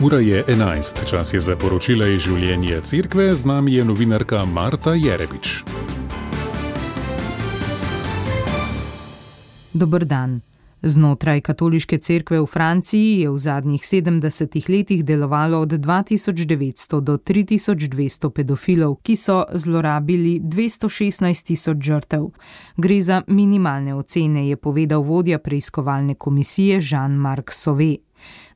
Ura je 11, čas je za poročila iz življenja cerkve, z nami je novinarka Marta Jerebič. Dober dan. Znotraj katoliške cerkve v Franciji je v zadnjih 70 letih delovalo od 2900 do 3200 pedofilov, ki so zlorabili 216.000 žrtev. Gre za minimalne ocene, je povedal vodja preiskovalne komisije Jean-Marc Sauvé.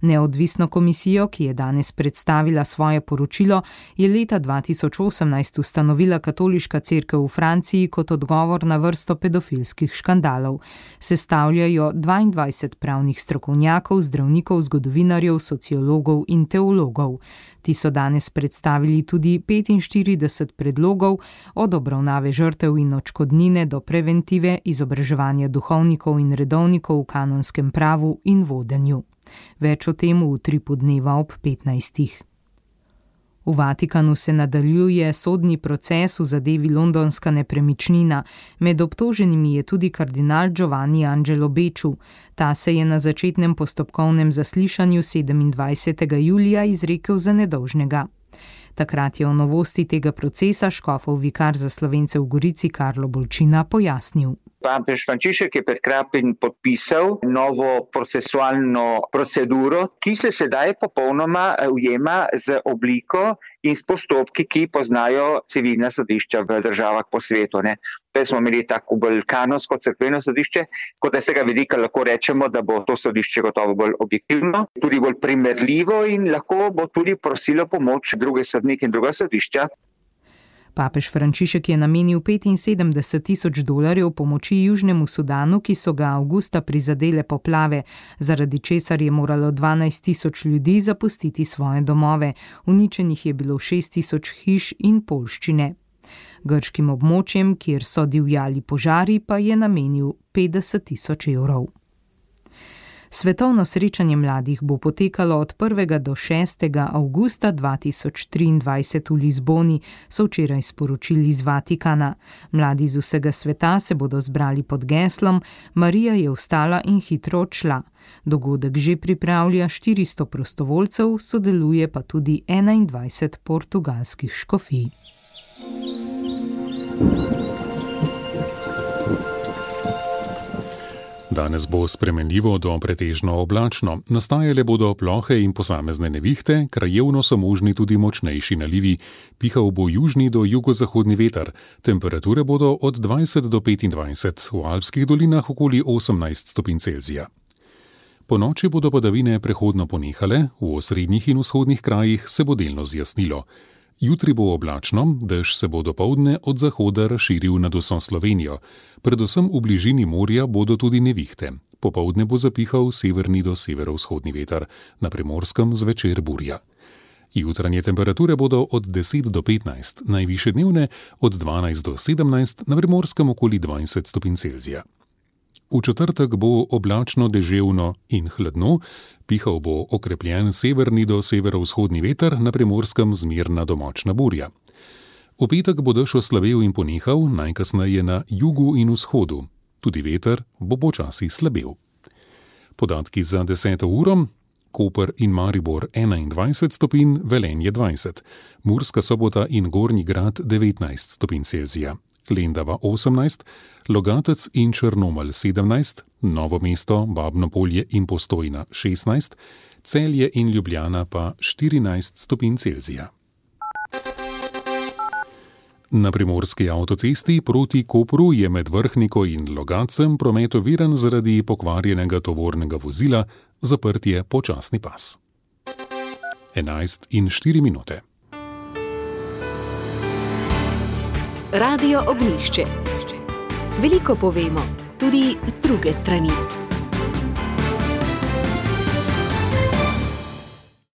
Neodvisno komisijo, ki je danes predstavila svoje poročilo, je leta 2018 ustanovila katoliška cerkev v Franciji kot odgovor na vrsto pedofilskih škandalov. Sestavljajo 22 pravnih strokovnjakov, zdravnikov, zgodovinarjev, sociologov in teologov. Ti so danes predstavili tudi 45 predlogov, od obravnave žrtev in odškodnine do preventive, izobraževanja duhovnikov in redovnikov v kanonskem pravu in vodenju. Več o tem v Utripu dneva ob 15. V Vatikanu se nadaljuje sodni proces v zadevi londonska nepremičnina. Med obtoženimi je tudi kardinal Giovanni Angelo Becciu. Ta se je na začetnem postopkovnem zaslišanju 27. julija izrekel za nedolžnega. Takrat je o novosti tega procesa škofov vikar za Slovence v Gorici Karlo Bolčina pojasnil. Papež Frančišek je pred kratkim podpisal novo procesualno proceduro, ki se sedaj popolnoma ujema z obliko in s postopki, ki poznajo civilna sodišča v državah po svetu. Zdaj smo imeli tako bolj kanonsko cerkveno sodišče, kot da z tega vidika lahko rečemo, da bo to sodišče gotovo bolj objektivno, tudi bolj primerljivo in lahko bo tudi prosilo pomoč druge sodnike in druga sodišča. Papež Frančišek je namenil $75,000 pomoči Južnemu Sudanu, ki so ga avgusta prizadele poplave, zaradi česar je moralo 12,000 ljudi zapustiti svoje domove. Uničenih je bilo 6,000 hiš in poljščine. Grškim območjem, kjer so divjali požari, pa je namenil €50,000. Svetovno srečanje mladih bo potekalo od 1. do 6. avgusta 2023 v Lizboni, so včeraj sporočili iz Vatikana. Mladi iz vsega sveta se bodo zbrali pod geslom Marija je vstala in hitro odšla. Dogodek že pripravlja 400 prostovoljcev, sodeluje pa tudi 21 portugalskih škofij. Danes bo spremenljivo do pretežno oblačno. Nastajale bodo plohe in posamezne nevihte, krajevno so možni tudi močnejši nalivi. Pihal bo južni do jugozahodni veter. Temperature bodo od 20 do 25, v alpskih dolinah okoli 18 stopinj Celzija. Po noči bodo padavine prehodno ponehale, v osrednjih in vzhodnih krajih se bo delno zjasnilo. Jutri bo oblačno, dež se bo dopoldne od zahoda razširil nad vso Slovenijo. Predvsem v bližini morja bodo tudi nevihte. Popoldne bo zapihal severni do severovzhodni veter, na Primorskem zvečer burja. Jutranje temperature bodo od 10 do 15, najvišje dnevne od 12 do 17, na Primorskem okoli 20 stopinj Celzija. V četrtek bo oblačno, deževno in hladno, pihal bo okrepljen severni do severovzhodni veter, na Primorskem zmerna do močna burja. V petek bo dež oslabel in ponehal, najkasneje na jugu in vzhodu. Tudi veter bo počasi slabel. Podatki za 10. uro: Koper in Maribor 21 stopinj, Velenje 20, Murska Sobota in Gornji Grad 19 stopinj Celzija, Lendava 18, Logatec in Črnomelj 17, Novo mesto, Babno Polje in Postojna 16, Celje in Ljubljana pa 14 stopinj Celzija. Na primorski avtocesti proti Kopru je med Vrhniko in Logatcem promet oviran zaradi pokvarjenega tovornega vozila, zaprt je počasni pas. 11:04. Radio Ognjišče. Veliko povemo, tudi z druge strani.